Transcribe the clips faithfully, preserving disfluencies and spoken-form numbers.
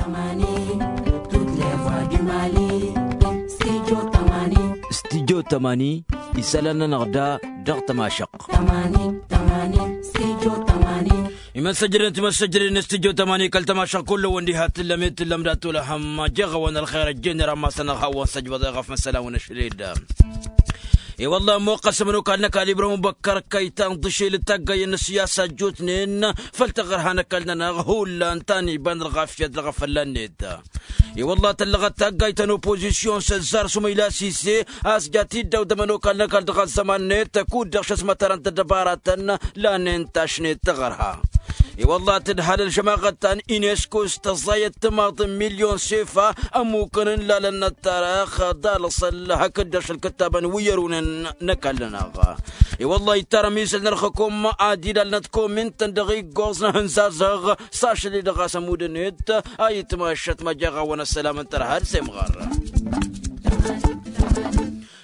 Tămani, toutes les voix du Mali. Studio tămani. Studio tămani, isălan-nănăɣ da dăɣ-tămašăɣt. Tămani, tămani, studio tămani. Imăssăjrădăn timăssăjrădăn studio tămani kăl-tămašăɣt kull-wăn diha t-tǝllăm i-t-tǝllăm dat-olăhăm jeɣ-awăn ălxer ăjjeen irammasăn-năɣ hawăn-săjbăḍ eɣăf n-isălan wa n-ašled. I-wălla ămmoqqăs ămănokal n-ăkall ibrahim băkkăr kăytan ḍǝšel d-taggayăn n-ăssiyasa ăjjootnen făll-taɣărha n-ăkall-nănăɣ hullan ta n-iba n-ălɣafyăt dăɣ-efălla-net. I-wălla tăllăɣăt taggayt ta n-oppozisyon s-ăzzar s-umăyla sise a-s ja t-iddaw d-ămănokal n-ăkall dăɣ-ăzzăman-net kud-dăɣ šăsmătărăn-t ăddăbaratăn lanen tašnet taɣărha. I-wălla tǝdhal ălžămaɣăt ta n-inesko s-tăẓẓayăt timaḍ n-milyon sefa ămmukăn n-lalăn n-ăttarăx d-alăṣăl hakd-dăɣ šălkǝttabăn wi ărunen n-ăkall-nănăɣ. I-wălla ittarăm isăl n-ălxăkom ad-ilalnăt komintăn dăɣ-iggoẓ n-ahǝnzazăɣ s-ašăl-i-dăɣ a-s ămudăn-et a itmašăt ma jeɣ-awăn ăssălam n-tărha d-semɣăr.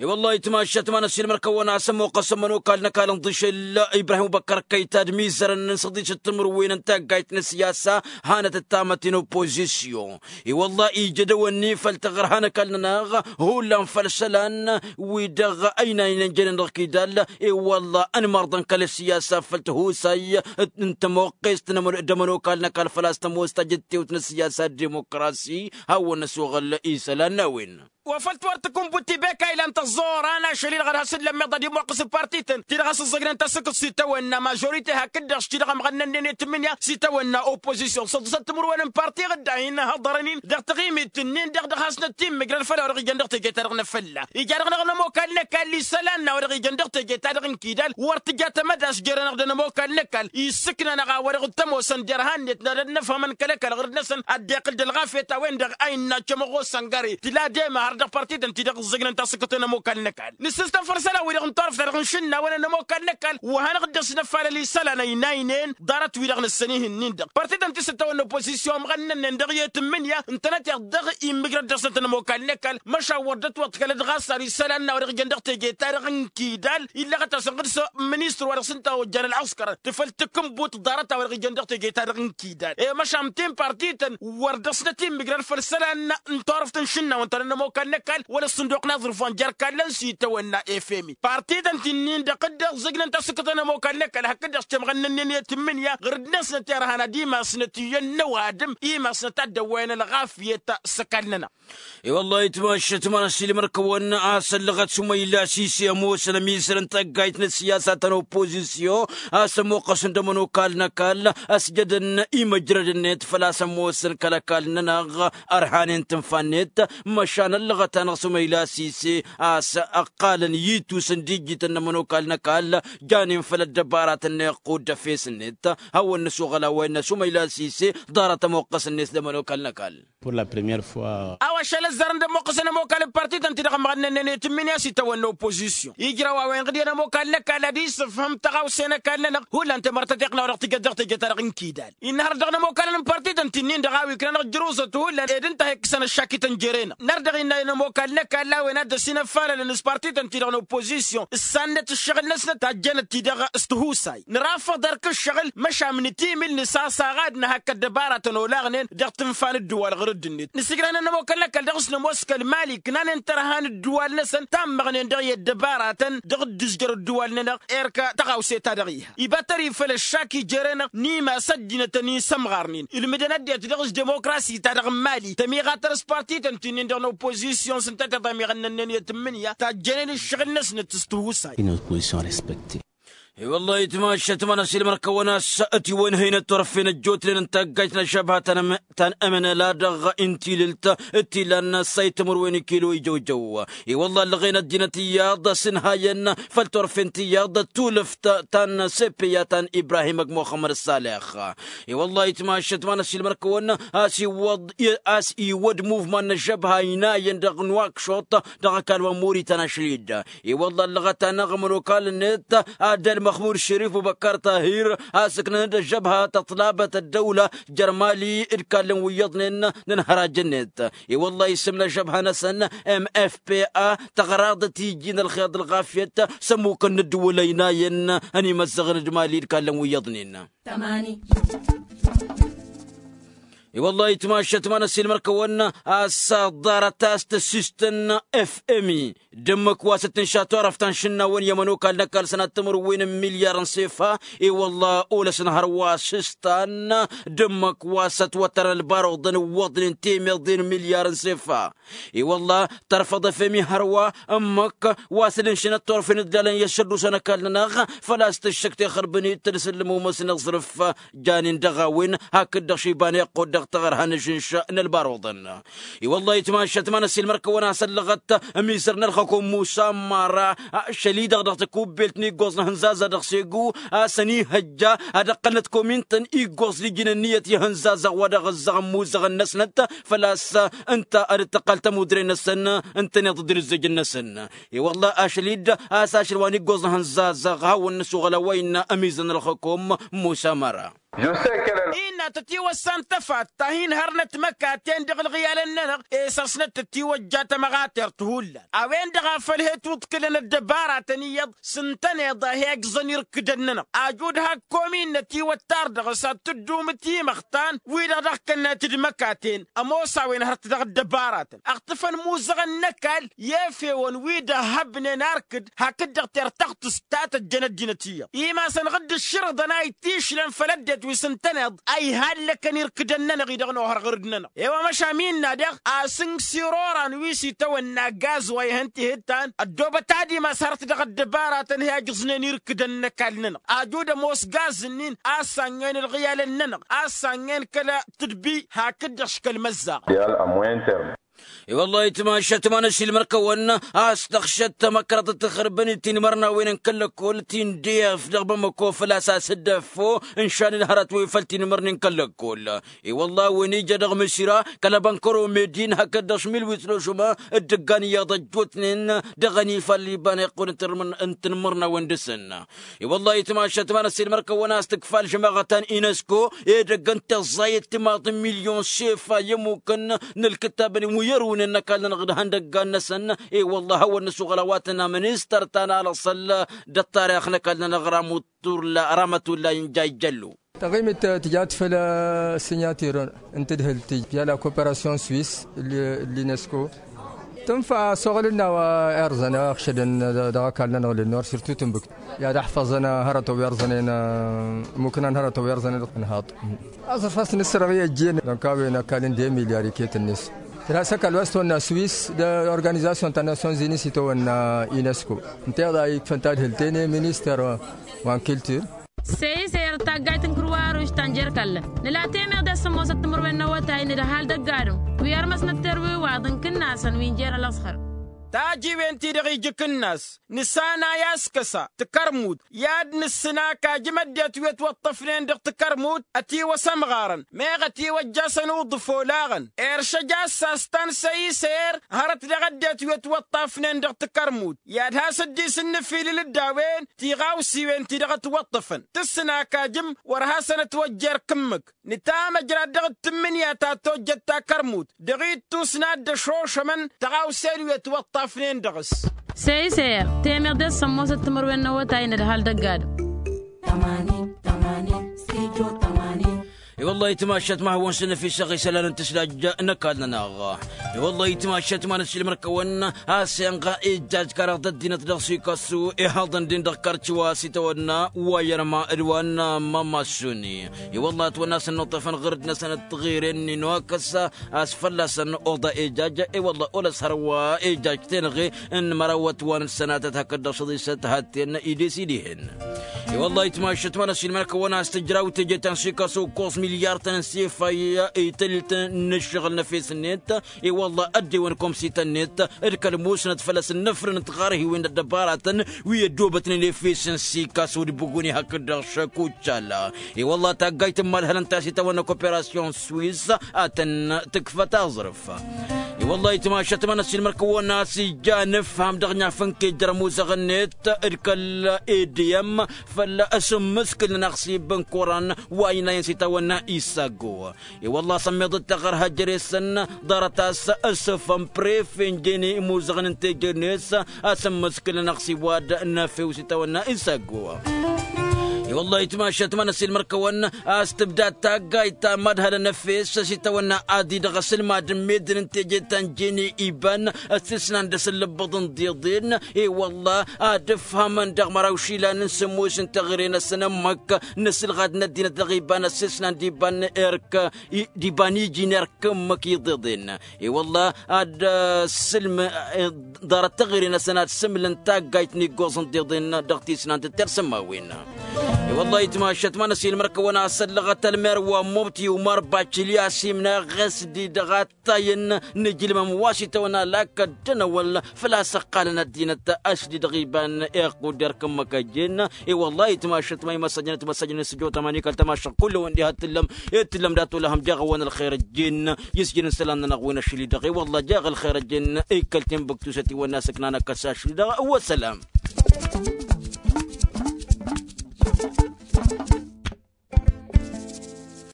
I-wălla itmašăt ma n-ăssiilmăr-kăwăn a-s ămmoqqăs ămănokal n-ăkall n-ḍišel ibrahim băkkăr kăytad mizărăn n-săḍiš d-timǝrwen n-taggayt n-ăssiyasa hanăt-dd tamătte n-oppozisyon. I-wălla ija dăw-ănni făll-taɣărha n-ăkall-nănăɣ hullan făll-isălan wi-dăɣ ăynaynen jănen dăɣ-kidall. I-wălla ănmărḍăn kăl-ăssiyasa făll-tihusay n-tămoqqest d-ămănokal n-ăkall făl-a-s tămoos tajǝttewt n-ăssiyasa d-dimokrasi hawăn-năsoɣăl isălan n-a-wen. Wa făl tiwăr tǝkǝnbut ti beka ilan tăẓẓoran ašăl-i-dăɣ ad-has-dd-lămmeḍ ad-imoqqăs d-partităn ti-dăɣ a-s ǝẓẓăjnen tasǝkǝḍt s-itawănna mažorite hakd-dăɣ s-ti-dăɣ ămɣănnănnen i-tǝmmǝnǝya s-itawănna oppozisyon săḍǝsăt timǝrwen n-parti ɣǝdda hin-ăhăḍărăn-in dăɣ-taɣimit-nin-dăɣ dăɣ-hasnăt timmǝjrăd făll-a-wa dăɣ-ijăn dăɣ-teje-ta-dăɣ n-afălla. Ija-dăɣ-năɣ n-ămokal n-ăkall isălan n-a-wa dăɣ-ijăn dăɣ-teje-ta-dăɣ n-kidal wăr tǝja tamădast jere-năɣ d-ănămokal n-ăkall issǝkna-năɣ a-wa dăɣ-tămoosăn derhan-net n-ad-ănnăfhămăn kăl-ăkall ɣur-năsăn ad-dd-iqqǝl d-ălɣafyăt a-wen-dăɣ a innă cămăɣosăn găre tǝla demăhăr dăɣ-partităn-ti-dăɣ ǝẓẓǝjnăn tasǝkkăt n-ănămokal n-ăkall. Nǝssǝstăn făll-isălan-wi-dăɣ n-turăft-ta-dăɣ n-išǝnnawăn ănămokal n-ăkall wa hanăɣ-dd-ăsnăf alăl isălan ăynaynen ḍarăt-wi-dăɣ nǝssăn ihǝnnin-dăɣ partităn ti s-ǝttawănna oppozisyon ămɣănnănnen dăɣ-i tǝmmǝnǝya ǝntănăteɣ dăɣ-immǝjrăd dăɣ-snăt ănămokal n-ăkall măšan wăr dd-ătwăḍkălăd ɣas ar isălan n-a-wa dăɣ-ijăn dăɣ-teje-ta-dăɣ n-kidal illăɣăt-asăn ɣǝd s-ministăr wa dăɣ-s ǝnta ojjan ălɣăskăr tǝfăl tǝkǝnbut ḍarăt a-wa dăɣ-ijăn dăɣ-teje-ta-dăɣ n-kidal i-măšan tin partităn wăr dăɣ-snăt immǝjrăd făll-isălan n-turăft n-išǝnnawăn ta n-ănămokal n-ăkall wăla ăssǝnduq n-aẓrǝf wa n-jer-kallăn s-itawănna efemi partităn ti-nin-dăɣ dd-ăẓẓǝjnăn tasǝkkăt n-ănămokal n-ăkall hakd-dăɣ s-temɣănnănnen i-tǝmmǝnǝya ɣǝr-dd-năsnăt irhan ad-imasnăt iyyăn n-ăwadǝm imasnăt ad-dd-ăwwăyăn ălɣafyăt s-ăkall-nănăɣ. I-wăllah itmašăt ma n-ăssiilmăr-kăwăn a-s ăllăɣăt s-umăyla sise ămoosăn ămizăr n-taggayt n-ăssiyasa ta n-oppozisyon a-s ămoqqăsăn d-ămănokal n-ăkall ăsjădăn imăjrăd-net făl-a-s ămoosăn kăl-ăkall-nănăɣ ărhanen tǝnfa-net. Măšan ăllăɣăt-anăɣ s-umăyla sise a-s ăqqalăn itus n-dijjităn n-ămănokal n-ăkall janen făll-ăddăbaratăn n-iqqud d-efes-net. Hawăn-nǝsuɣăl a-wa innă s-umăyla sise ḍarăt ămoqqăs-net d-ămănokal n-ăkall. Pour la première fois. A-wa ašăl ăzzarăn d-ămmoqqăsăn ămokal n-partităn-ti-dăɣ ămɣănnănnen i-tǝmmǝnǝya s-itawănna oppozisyon ijraw a-wen ɣǝd i-ănămokal n-ăkall ad-isǝfhǝm tăɣawse n-ăkall-nănăɣ hullan temărtăteɣt n-a-wa dăɣ-tǝjăt dăɣ-teje-ta-dăɣ n-kidal innă hărăt dăɣ-inămokal n-partităn ti-nin-dăɣ a-wa iknanăɣ jruzăt hullan ed ǝnta a ikkǝsăn ăššakităn jere-năɣ năr dăɣ-innă i-inămokal n-ăkall a-wen a dd-ăsinăfalălăn s-partităn-ti-dăɣ n-oppozisyon ǝssannăt ǝššăɣǝl-năsnăt tajjănăt-ti-dăɣ s-tihusay nǝrafăḍ erk ǝššăɣǝl măšan nǝtimǝl nǝsasaɣ ad-nǝhak ăddăbaratăn olaɣnen dăɣ-tǝnfa n-ǝddǝwal ɣur-dd-net nǝsǝjrăhnăn ămokal n-ăkall dăɣ-s nămoos kăl-mali ǝknanen tărha n-ǝddǝwal-năsăn tammăɣnen dăɣ-i ăddăbaratăn dăɣ-dd-ǝzjăr ǝddǝwal-nănăɣ erk tăɣawse-ta-dăɣ iha iba tări făll-ăššak ijere-năɣ n-imas ăddinăt ănisămɣarnen ǝlmǝdăn ăddinăt dăɣ-s-demokrasi-ta-dăɣ n-mali tămiɣatăr s-partităn ti-nin-dăɣ n-oppozisyon s-ǝnta tiḍa miɣănnănnen i-tǝmmǝnǝya tajjănen ǝššăɣǝl-năsnăt s-tihusay. Une opposition respectée. I-wăllah itmašăt ma n-ăsilmăr-kăwăn a-s ătiwănhăynăt turăffe n-ăjjootnen n-taggajt n-ăžžăbha ta n-amănăla dăɣ-intilǝlt d-tilan n-ăssay timǝrwen n-kilo ijăwjăw. I-wăllah ăllăɣen ăddinăt iyyăḍ s-ǝnhayăn făll-turăffe n-tiyyăḍ tulǝft ta n-sepeya ta n-ibrahim ăgg muxămmăd s-salex. I-wăllah itmašăt ma n-ăsilmăr-kăwăn a-s iwwăḍ a-s iwwăd muvman n-ăžžăbha ăynayăn dăɣ-nuwakšuṭ dăɣ-ăkall wa n-muritan ašlid. I-wăllah ăllăɣăt-anăɣ ămănokal-net ad-ălmăxmud šerif bubăkkar tahir a-s ǝknăn-dd ăžžăbha tăṭlabăt ăddăwla jer-mali d-ikallăn wi iyyăḍnen n-ănhăraj-net. I-wăllah isǝm n-ăžžăbha-năsăn m f p a tăɣraḍăt iji n-ălxer d-ălɣafyăt s-ămmukăn n-ǝddǝwǝl ăynayăn ănimăzzăɣăn d-mali d-ikallăn wi iyyăḍnen. Tămani. I-wăllah itmašat ma n-ăssiilmăr-kăwăn a-s ḍarăt a-s tăssistăn f m i d-ǝmmǝk wa s-dd-tǝnša turăft ta n-išǝnnawăn i-ămănokal n-ăkall sănat timǝrwen n-milyar n-sefa. I-wăllah olăsăn hărwa s-ǝstan d-ǝmmǝk wa s-ătwăttărăn ălbaruḍăn ǝwwăḍnen temeḍe n-milyar n-sefa. I-wăllah tărfăḍ f m i hărwa ǝmmǝk wa s-dd-ǝnšǝnăt turăfen ǝdlalăn i-ăššăddus n-ăkall-nănăɣ făl-a-s tǝššǝk tixărbǝnit d-isǝllǝm umăsnăɣ ẓrǝf. Janen dăɣ-a-wen hakd-dăɣ šibane iqqud dăɣ-taɣărha n-ažǝnš n-ălbaruḍăn. I-wăllah itmašat ma n-ăssiilmăr-kăwăn a-s ăllăɣăt ămizăr n-ălxăkom musa mara ašăl-i-dăɣ dăɣ-tăkubbelt n-iggoẓ n-ahǝnzazăɣ dăɣ-segu a-s ănihăjja ad-ăqqălnăt komintăn iggoẓ d-iji n-ǝnniyăt i-ahǝnzazăɣ wa dăɣ-ǝzzăɣ ămmuzăɣăn-năsnăt. Făl-a-s ǝnta ad-dd-tăqqal tămudre-năsăn ǝntăneḍ d-ǝzzǝj-năsăn. I-wăllah ašăl-i-dd a-s ašăl wa n-iggoẓ n-ahǝnzazăɣ hawăn-nǝsuɣăl a-wa innă ămizăr n-ălxăkom musa măra. Innă tătiwăssan tăfatta hin-hărnăt măkaten dăɣ-ălɣiyalăn-nănăɣ. E-săr-snăt tătiwăjja tămăɣatert hullan a-wen-dăɣ a făl he-twǝḍkǝlăn ăddăbaratăn iyyăḍ s-ǝntăneḍ a he-ǝjẓăn irkǝdăn-nănăɣ ajud hak kom-innă tiwăttar dăɣ-s ad-tǝddumǝt imăxtan wi-dăɣ dăɣ-kănnăt d-măkaten. Ămoos a-wen hărăt dăɣ-ăddăbaratăn ăɣtǝfăn imuzăɣăn n-ăkall i-efewăn wi dd-ăhhăbnen arkǝd hakd-dăɣ tertăɣtǝst ta tăjjăn ăddinăt iyyăḍ imasăn ɣǝdd ǝššǝrǝḍăn a ittišlăn făll-ăddinăt wi s-ǝntăneḍ a ihallăkăn irkǝdăn-nănăɣ-i-dăɣ n-ohăr ɣǝrǝd-nănăɣ. I-wa măšan innă daɣ a-s n-sirora n-wi s-itawănna gaz wa ihăn tihǝttan ăddoobăt ad-imas hărăt dăɣ-ăddăbaratăn hi-ajǝẓnen irkǝdăn n-ăkall-nănăɣ ajud ămoos gaz-nin a ăssannăyăn ălɣiyalăn-nănăɣ a ăssannăyăn kăla tǝdbi hakd-dăɣ škăl măzzaɣ. I-wăllah itmašat ma n-ăssiilmăr-kăwăn a-s tăɣšăt tamăkrăḍt tăxărbănit tinmărnawen n-kăl-lăkkol tindef dăɣ-bamăko făl-a-s a-s dd-ăffo n-šanǝl hărăt wa ifăl tinmărnen kăl-lăkkol. I-wăllah a-wen ija dăɣ-mǝsira kăl-abănkăro medin hakd-dăɣ šmilwit ložuma d-ǝggan iyyăḍ ăjjootnen dăɣ-ănifal iba n-iqqun n-tinmărnawen dăɣ-săn. I-wăllah itmašat ma n-ăssiilmăr-kăwăn a-s tǝkfa ălžămaɣăt ta n-inesko edăgg n-tiẓẓayăt timaḍ n-milyon sefa i-ămmukăn n-ǝlkǝttabăn wi ărwǝnen n-ăkall-nănăɣ d-ihăndăggan-năsăn. I-wăllah a hawăn-nǝsuɣăl a-wa tănna ministăr ta n-alăṣăl d-ăṭṭarix n-ăkall-nănăɣ ramătulla injajjăllu. Taɣimit tǝjat făll-ăssinyătir n-tǝdhǝlt tǝj i-ala koperasyon swis l-inesko. Tǝnfa ăsoɣăl n-a-wa irzăn ăɣšădăn dăɣ-ăkall-nănăɣ lănnor sirtu tǝnbǝkt i-ad-ăḥfăẓăn hărătăn wi irzănen. Ămmuknan hărătăn wi irzănen dăɣ-tǝnhaḍ. Aẓrǝf a-s nǝssărăɣ i-ăjjeen dăɣ-kawăyăn ăkall n-de milyar iket-net. Tǝrha s-ăkall wa s-tăwănna swis d-organizasyon ta n-nasyonzini s-itawănna inesko. Ǝnta iḍa ikfăn tadhǝlt-en i-ministăr wa n-kiltir. Seyser taggayt n-kǝrwaruš ta n-jer-kallăn nǝla temeḍe s-sămmosăt timǝrwen n-awătay n-ădhal dăgg-adǝm wi ărmăsnăt terwiwaḍ n-kǝnnasăn wi n-jer-ălăẓhăr. Tajiwen-ti-dăɣ ija akǝnnas nǝsanay a-s kăsa tǝkărmut i-ad-nǝssǝn akajǝm ăddinăt wi ătwăṭṭăfnen dăɣ-tǝkărmut ătiwăs ămɣarăn meɣ ătiwăjjasăn uḍǝf olaɣăn. Eršăj a-s a-s ta n-săyiser hărăt dăɣ-ăddinăt wi ătwăṭṭăfnen dăɣ-tǝkărmut i-ad-has-dd-isǝnnǝfilǝl d-a-wen tiɣawsiwen-ti-dăɣ ătwăṭṭăfăn tǝssǝn akajǝm wăr hasăn-ătwăjja erk ǝmmǝk. Nǝtamăjrad dăɣ-dd-tǝmmǝnǝya ta tojjăt takărmut dăɣ-ittus n-ad-dd-ăšošămăn tăɣawsen wi ătwăṭṭafnen dăɣ-s. Seyser temeḍe s-sămmosăt timǝrwen n-awătay n-ădhal dăgg-adǝm. I-wăllah itmašat ma hawăn-săn ăfisăɣ isălan n-tǝslaj n-ăkall-nănăɣ. I-wăllah itmašat ma n-ăssiilmăr-kăwăn a-s inɣa ijjaj karăɣ d-ăddinăt dăɣ-sikasu ihaḍăn-din dăɣ-karci wa s-itawănna wa i-ărma d-wa n-mămăssuni. I-wăllah ătwănna a-s ănnuṭṭăfăn ɣǝrǝd-năsăn ăṭṭăɣiren n-inokăs a-s fălla-săn oḍa ijaj. I-wăllah olăs hărwa ijaj tenăɣe n-mărawăt wa n-ăssănatăt hakd-dăɣ šăḍisăt hatten ides idihăn. I-wăllah itmašat ma n-ăssiilmăr-kăwăn a-s tǝjraw teje ta n-sikasu ǝkkoẓ milyar-tăn n-sefay ităllt n-ǝššăɣǝl n-efes-net. I-wăllah ăddewăn komsităn-net d-kăl-musnăt făll-ăsnăfrăn tiɣărhiwen d-ăddăbaratăn wi ăddoobătnen efes n-sikasu d-buguni hakd-dăɣ šăkucala. I-wăllah taggayt n-imalhălăn ta s-itawănna koperasyon swis a tăn-tǝkfăt aẓrǝf. I-wăllah itmašat ma n-ăssiilmăr-kăwăn a-s ija anǝfham dăɣ-naf n-kejăr ămuzăɣ-net d-kăl-ediyăm făll-asǝmmǝskǝl n-aɣsib n-koran wa inayăn s-itawănna isaggo. I-wălla a-s ămmiḍăt taɣărha jere-săn ḍarăt a-s ăsfăm prefe n-jene imuzăɣăn n-teje-net a-s ǝmmǝskǝlăn ăɣsiwad n-efew s-itawănna isaggo. I-wălla itmašat ma n-asilmăr-kăwăn a-s tǝbda taggayt ta mad-hălăn efes s-itawănna ad-idăɣ asǝlmad n-medden n-teje ta n-jene iban. Ăssesnan d-asǝllǝbbăḍ n-diḍen. I-wălla ad-ǝfhămăn dăɣ-măraw išilan n-sǝmmos n-teɣăre-năsăn ǝmmǝk n-asǝlɣad n-ăddinăt dăɣ-iban ăssesnan d-iban erk d-iban iji n-erk ǝmmǝk iḍeḍen. I-wălla ad-sǝlm ḍarăt teɣăre-năsăn ad-sǝmlǝn taggayt n-iggoẓ n-tiḍen dăɣ-tisnant d-tersǝmmawen. I-wălla itmašat ma n-asilmăr-kăwăn a-s ăllăɣăt ălmer wa n-mubti umar bačilya s-imna ɣes-di dăɣ-attayăn n-ijlǝmăm wa s-itawănna lakăt d-anăwăl făl-a-s ăqqalăn ăddinăt. Ăšdidăɣ iban iqqud erk ǝmmǝk ăjjeen. I-wălla itmašat ma imăssăjnăt măssăjnăt s-jotam ănikăl tămašăɣ kull-wen diha t-tǝllăm ed tǝllăm dat-olăhăm jaɣ-awăn ălxer ăjjeen. Isjǝn n-isălan-nănăɣ wi n-ašli-dăɣ i-wălla jaɣ ălxer ăjjeen. Ikkăl tinbǝktusăt iwănna s-ǝknan ăkkăs ašli-dăɣ. Wăssălam.